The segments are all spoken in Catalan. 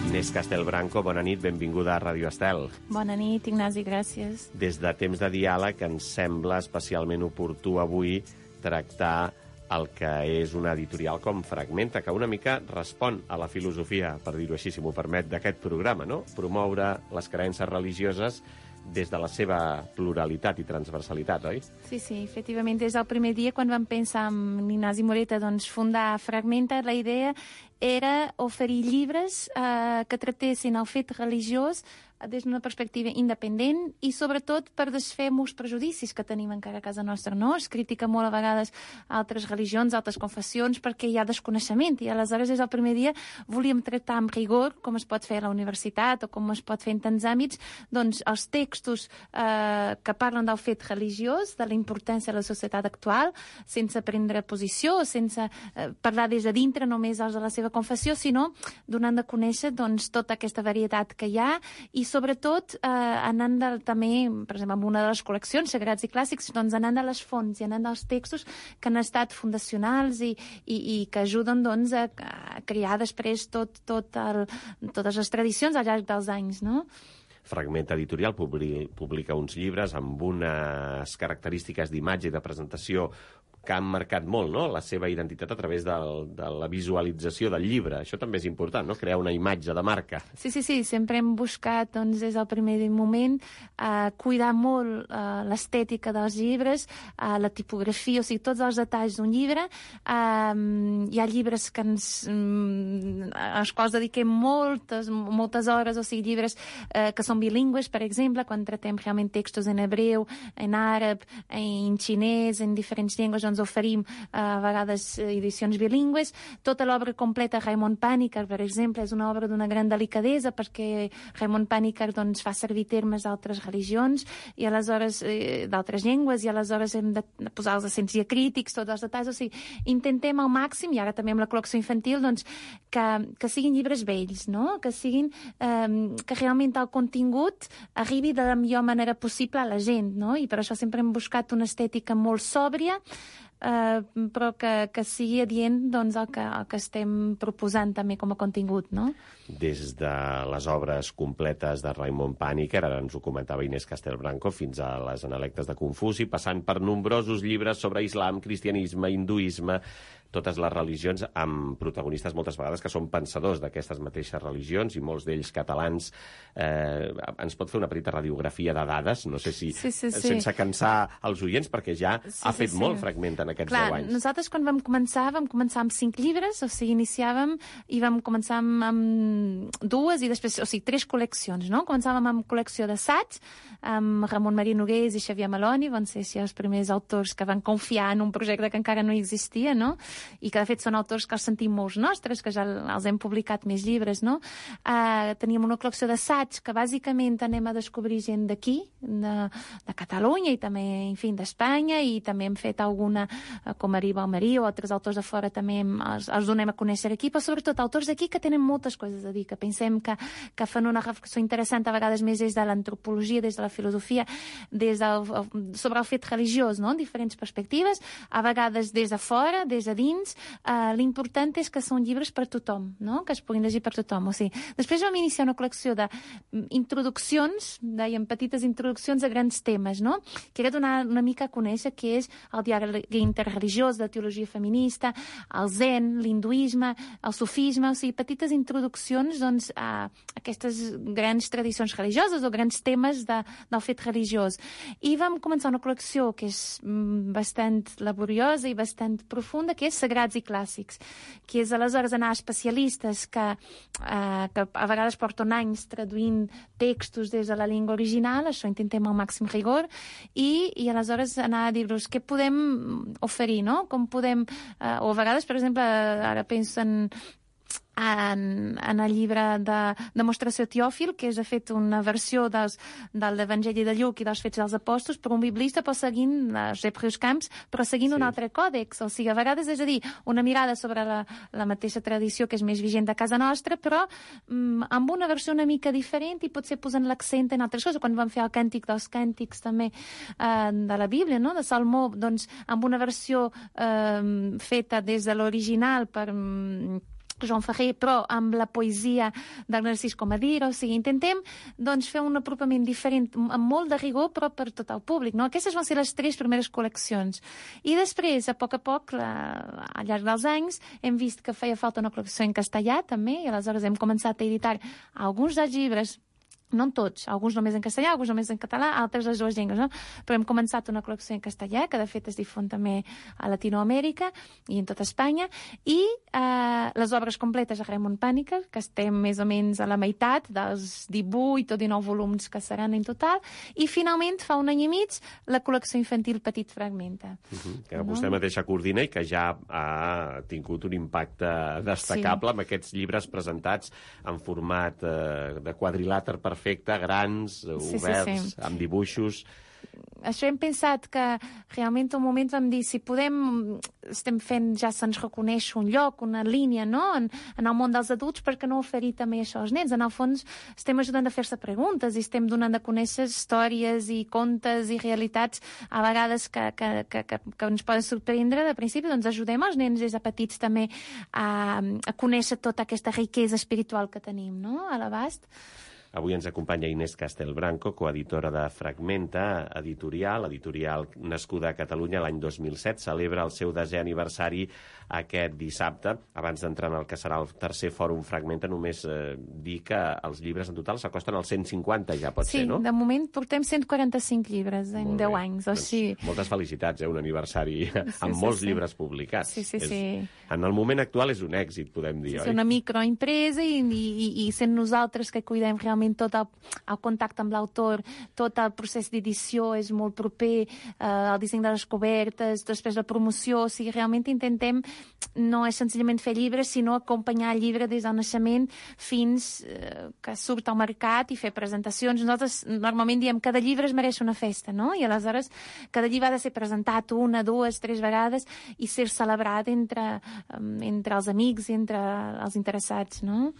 Inés Castelbranco, bona nit, benvinguda a Ràdio Estel. Bona nit, Ignasi, gràcies. Des de Temps de Diàleg ens sembla especialment oportú avui tractar el que és una editorial com Fragmenta, que una mica respon a la filosofia, per dir-ho així, si m'ho permet, d'aquest programa, no? Promoure les creences religioses des de la seva pluralitat i transversalitat, oi? Sí, efectivament, des del primer dia, quan vam pensar en Ignasi Moreta fundar Fragmenta, la idea era oferir llibres que tractessin el fet religiós des d'una perspectiva independent i sobretot per desfer molts prejudicis que tenim encara a casa nostra, no? Es critica molt a vegades altres religions, altres confessions, perquè hi ha desconeixement i aleshores des del primer dia volíem tractar amb rigor, com es pot fer a la universitat o com es pot fer en tants àmbits, doncs els textos que parlen del fet religiós, de la importància de la societat actual, sense prendre posició, sense parlar des de dintre només els de la seva confessió, sinó donant de conèixer doncs, tota aquesta varietat que hi ha i sobretot anant també, per exemple, en una de les col·leccions Sagrats i Clàssics, doncs anant de les fonts i anant dels textos que han estat fundacionals i que ajuden doncs, a crear després totes les tradicions al llarg dels anys, no? Fragmenta Editorial publica uns llibres amb unes característiques d'imatge i de presentació que han marcat molt, no?, la seva identitat a través de la visualització del llibre. Això també és important, no?, crear una imatge de marca. Sí, sempre hem buscat, doncs, des del primer moment, cuidar molt l'estètica dels llibres, la tipografia, o sigui, tots els detalls d'un llibre. Hi ha llibres als quals dediquem moltes hores, o sigui, llibres que són bilingües, per exemple, quan tratem realment textos en hebreu, en àrab, en xinès, en diferents llengües, doncs oferim a vegades edicions bilingües. Tota l'obra completa, Raimon Panikkar, per exemple, és una obra d'una gran delicadesa perquè Raimon Panikkar doncs, fa servir termes d'altres religions i aleshores d'altres llengües i aleshores hem de posar els accents diacrítics, tots els detalls, o sigui, intentem al màxim, i ara també amb la col·lecció infantil, doncs, que siguin llibres vells, no? Que siguin que realment el contingut arribi de la millor manera possible a la gent, no? I per això sempre hem buscat una estètica molt sòbria, però que sigui adient doncs, el que estem proposant també com a contingut, no? Des de les obres completes de Raimon Panikkar, ara ens ho comentava Inés Castelbranco, fins a les Analectes de Confuci, passant per nombrosos llibres sobre islam, cristianisme, hinduisme, totes les religions, amb protagonistes moltes vegades que són pensadors d'aquestes mateixes religions i molts d'ells catalans. Ens pot fer una petita radiografia de dades? No sé si sense cansar els oients, perquè ja ha fet molt Fragmenta en aquests 10 anys. Nosaltres quan vam començar amb 5 llibres, o sigui, iniciàvem i vam començar amb 2 i després, o sigui, 3 col·leccions, no? Començàvem amb col·lecció d'assaig, amb Ramon Maria Nogués i Xavier Maloni, van ser els primers autors que van confiar en un projecte que encara no existia, no? I que de fet són autors que els sentim molts nostres, que ja els hem publicat més llibres, no? Teníem una col·lecció d'assaig que bàsicament anem a descobrir gent d'aquí, de Catalunya i també, en fi, d'Espanya, i també hem fet alguna, com Marí Balmarí o altres autors de fora també els donem a conèixer aquí, però sobretot autors d'aquí que tenen moltes coses a dir, que pensem que fan una reflexió interessant a vegades més des de l'antropologia, des de la filosofia, sobre el fet religiós, no? En diferents perspectives, a vegades des de fora, des de dins. L'important és que són llibres per tothom, no? Que es puguin llegir per tothom. O sigui, després vam iniciar una col·lecció d'introduccions, dèiem, petites introduccions a grans temes, no? Que era donar una mica a conèixer què és el diàleg interreligiós de teologia feminista, el zen, l'hinduisme, el sufisme, o sigui, petites introduccions doncs, a aquestes grans tradicions religioses o grans temes del fet religiós. I vam començar una col·lecció que és bastant laboriosa i bastant profunda, que és Sagrats i Clàssics, que és aleshores anar a especialistes que a vegades porten anys traduint textos des de la llengua original, això intentem al màxim rigor, i aleshores anar a dir-los què podem oferir, no? Com podem... o a vegades, per exemple, ara penso en el llibre de Demostració Teòfil, que és de fet una versió de l'Evangeli de Lluc i dels Fets dels Apòstols per un biblista, però seguint Josep Rius Camps, però seguint un altre còdex. O sigui, a vegades és a dir, una mirada sobre la mateixa tradició que és més vigent de casa nostra, però amb una versió una mica diferent i potser posant l'accent en altres coses. Quan vam fer el Càntic dels Càntics també de la Bíblia, no? De Salmó, doncs amb una versió feta des de l'original per Joan Ferrer, però amb la poesia del Narcís Comadira. O sigui, intentem doncs, fer un apropament diferent, amb molt de rigor, però per tot el públic. No? Aquestes van ser les 3 primeres col·leccions. I després, a poc, al llarg dels anys, hem vist que feia falta una col·lecció en castellà, també, i aleshores hem començat a editar alguns dels llibres, no en tots, alguns només en castellà, alguns només en català, altres les 2 llengües, no? Però hem començat una col·lecció en castellà, que de fet es difon també a Latinoamèrica i en tota Espanya, i les obres completes a Raimon Pàniker, que estem més o menys a la meitat dels 18 o 19 volums que seran en total, i finalment, fa un any i mig, la col·lecció infantil Petit Fragmenta. Que vostè mateixa coordina i que ja ha tingut un impacte destacable amb aquests llibres presentats en format de quadrilàter perfecte, grans, oberts, amb dibuixos. Això hem pensat que realment un moment vam dir si podem, estem fent, ja se'ns reconeix un lloc, una línia, no? En el món dels adults, per què no oferir també això als nens? En el fons estem ajudant a fer-se preguntes i estem donant a conèixer històries i contes i realitats a vegades que ens poden sorprendre. De principi, doncs ajudem els nens des de petits també a conèixer tota aquesta riquesa espiritual que tenim, no? A l'abast. Avui ens acompanya Inés Castelbranco, coeditora de Fragmenta, editorial nascuda a Catalunya l'any 2007. Celebra el seu 10è aniversari aquest dissabte. Abans d'entrar en el que serà el 3è Fòrum Fragmenta, només dir que els llibres en total s'acosten als 150, ja pot ser, no? Sí, de moment portem 145 llibres en 10 anys. Doncs moltes felicitats, un aniversari amb molts llibres publicats. Sí. En el moment actual és un èxit, podem dir, oi? És una microempresa i sent nosaltres que cuidem realment tot el contacte amb l'autor, tot el procés d'edició és molt proper, el disseny de les cobertes, després la promoció, o sigui, realment intentem no és senzillament fer llibres, sinó acompanyar el llibre des del naixement fins que surt al mercat i fer presentacions. Nosaltres normalment diem que cada llibre es mereix una festa, no? I aleshores cada llibre ha de ser presentat 1, 2, 3 vegades i ser celebrat entre els amics i entre els interessats, no?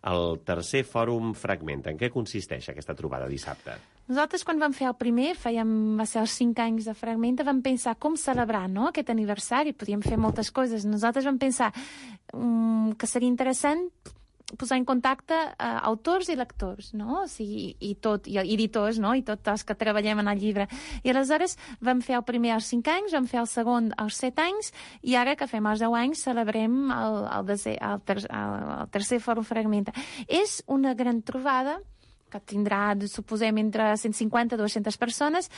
El 3è Fòrum Fragmenta, en què consisteix aquesta trobada dissabte? Nosaltres, quan vam fer el primer, va ser els 5 anys de Fragmenta, vam pensar com celebrar, no?, aquest aniversari. Podíem fer moltes coses. Nosaltres vam pensar que seria interessant posar en contacte autors i lectors, no? O sigui, i editors, no? I tots els que treballem en el llibre. I aleshores vam fer el primer als 5 anys, vam fer el segon als 7 anys, i ara que fem els 10 anys celebrem el 3è Fòrum Fragmenta. És una gran trobada que tindrà, suposem, entre 150 i 200 persones,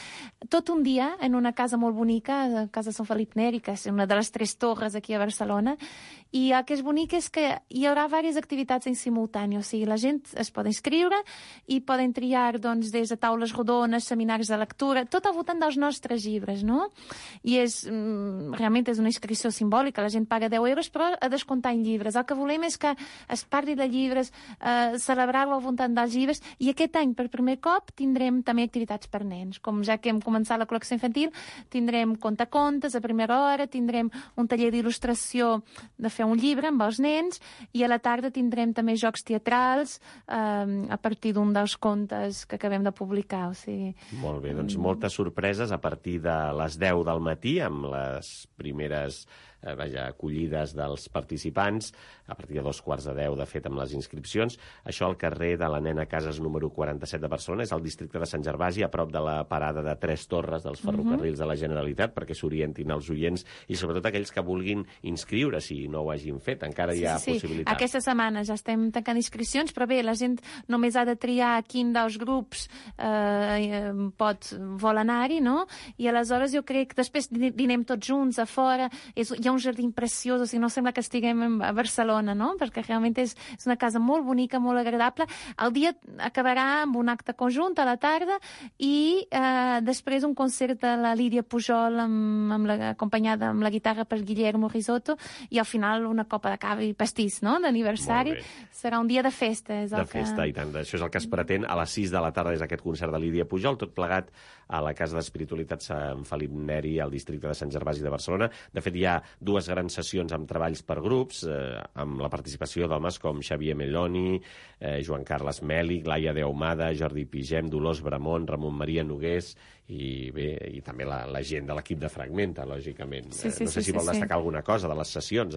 tot un dia en una casa molt bonica, la Casa Sant Felip Neri, que és una de les 3 torres aquí a Barcelona, i el que és bonic és que hi haurà diverses activitats en simultani, o sigui, la gent es pot inscriure i poden triar, doncs, des de taules rodones, seminaris de lectura, tot al voltant dels nostres llibres, no? I realment és una inscripció simbòlica, la gent paga 10 euros, però a descomptar en llibres. El que volem és que es parli de llibres, celebrar-ho al voltant dels llibres, i aquest any, per primer cop, tindrem també activitats per nens. Com ja que hem començat la col·lecció infantil, tindrem contacontes a primera hora, tindrem un taller d'il·lustració de fer un llibre amb els nens, i a la tarda tindrem també jocs teatrals a partir d'un dels contes que acabem de publicar. O sigui... Molt bé, doncs moltes sorpreses a partir de les 10 del matí, amb les primeres acollides dels participants, a partir de 9:45, de fet, amb les inscripcions. Això al carrer de la Nena Casas número 47 de Barcelona, és al districte de Sant Gervasi, a prop de la parada de 3 Torres dels ferrocarrils de la Generalitat, perquè s'orientin els oients i sobretot aquells que vulguin inscriure, si no ho hagin fet. Encara hi ha possibilitat. Aquesta setmana ja estem tancant inscripcions, però bé, la gent només ha de triar quin dels grups vol anar-hi, no? I aleshores jo crec que després dinem tots junts a fora, hi ha un jardí preciós, o sigui, no sembla que estiguem a Barcelona, no? Perquè realment és una casa molt bonica, molt agradable. El dia acabarà amb un acte conjunt a la tarda i després un concert de la Lídia Pujol acompanyada amb la guitarra per Guillermo Risotto, i al final una copa de cava i pastís, no?, d'aniversari. Serà un dia de festa. Festa, i tant. Això és el que es pretén. A les 6 de la tarda és aquest concert de Lídia Pujol, tot plegat a la Casa d'Espiritualitat Sant Felip Neri, al districte de Sant Gervasi de Barcelona. De fet, hi ha 2 grans sessions amb treballs per grups, amb la participació d'homes com Xavier Melloni, Joan Carles Mèlic, Laia de Ahumada, Jordi Pigem, Dolors Bramont, Ramon Maria Nogués i bé, i també la gent de l'equip de Fragmenta, lògicament. Sí, No sé si vol destacar alguna cosa de les sessions,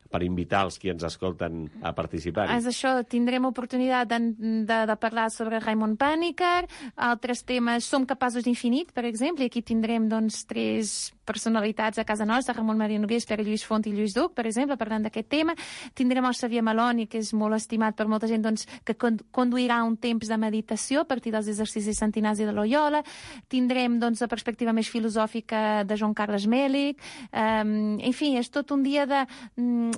per invitar els qui ens escolten a participar. És això, tindrem oportunitat de parlar sobre Raimon Panikkar, altres temes, Som capaços d'infinit, per exemple, i aquí tindrem doncs 3 personalitats a casa nostra, Ramon Maria Nogués, Pere Lluís Font i Lluís Duc, per exemple, parlant d'aquest tema. Tindrem el Xavier Maloni, que és molt estimat per molta gent, doncs, que conduirà un temps de meditació a partir dels exercicis Sant Ignasi de Loyola. Tindrem doncs, la perspectiva més filosòfica de Joan Carles Mèlic. En fi, és tot un dia de...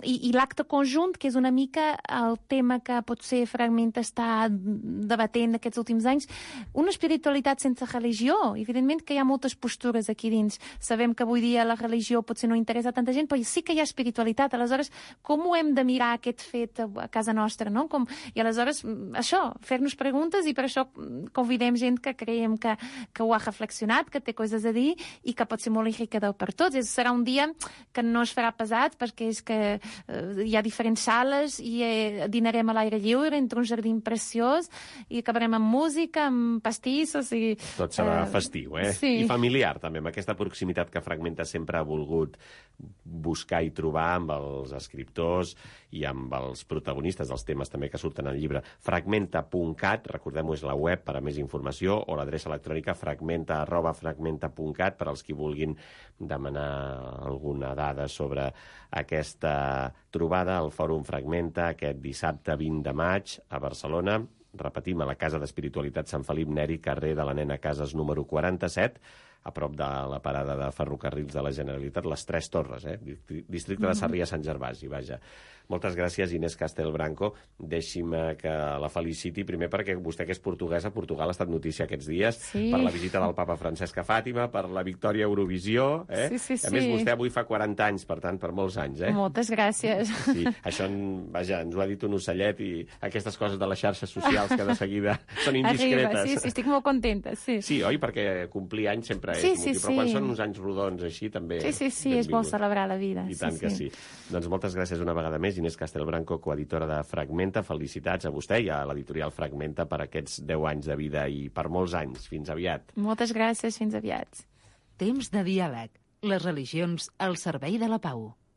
I l'acte conjunt, que és una mica el tema que potser Fragmenta està debatent aquests últims anys. Una espiritualitat sense religió. Evidentment que hi ha moltes postures aquí dins. Sabem que avui dia la religió potser no interessa a tanta gent, però sí que hi ha espiritualitat. Aleshores, com ho hem de mirar aquest fet a casa nostra, no? I aleshores, això, fer-nos preguntes, i per això convidem gent que creiem que ho ha reflexionat, que té coses a dir i que pot ser molt enriquidor per tots. Serà un dia que no es farà pesat, perquè és que hi ha diferents sales i dinarem a l'aire lliure entre un jardí preciós i acabarem amb música, amb pastissos i... Tot serà festiu, Sí. I familiar, també, amb aquesta proximitat que Fragmenta sempre ha volgut buscar i trobar amb els escriptors i amb els protagonistes dels temes també que surten al llibre. Fragmenta.cat, recordem-ho, és la web per a més informació, o l'adreça electrònica fragmenta@fragmenta.cat per als qui vulguin demanar alguna dada sobre aquesta trobada al Fòrum Fragmenta aquest dissabte 20 de maig a Barcelona. Repetim, a la Casa d'Espiritualitat Sant Felip Neri, carrer de la Nena Casas número 47, a prop de la parada de ferrocarrils de la Generalitat, les Tres Torres, districte de Sarrià-Sant Gervasi, vaja. Moltes gràcies, Inés Castelbranco. Deixi'm que la feliciti primer perquè vostè, que és portuguesa, Portugal ha estat notícia aquests dies, per la visita del papa Francesc a Fàtima, per la victòria a Eurovisió. Sí. A més, vostè avui fa 40 anys, per tant, per molts anys. Moltes gràcies. Sí, això, vaja, ens ho ha dit un ocellet, i aquestes coses de les xarxes socials que de seguida són indiscretes. Arriba, sí, estic molt contenta, sí. Sí, oi? Perquè complir anys sempre és motiu, però quan són uns anys rodons així també... Sí, és bo celebrar la vida. I tant que sí. Doncs moltes gràcies una vegada més, Inés Castelbranco, coeditora de Fragmenta. Felicitats a vostè i a l'editorial Fragmenta per aquests 10 anys de vida i per molts anys. Fins aviat. Moltes gràcies, fins aviat. Temps de diàleg. Les religions al servei de la pau.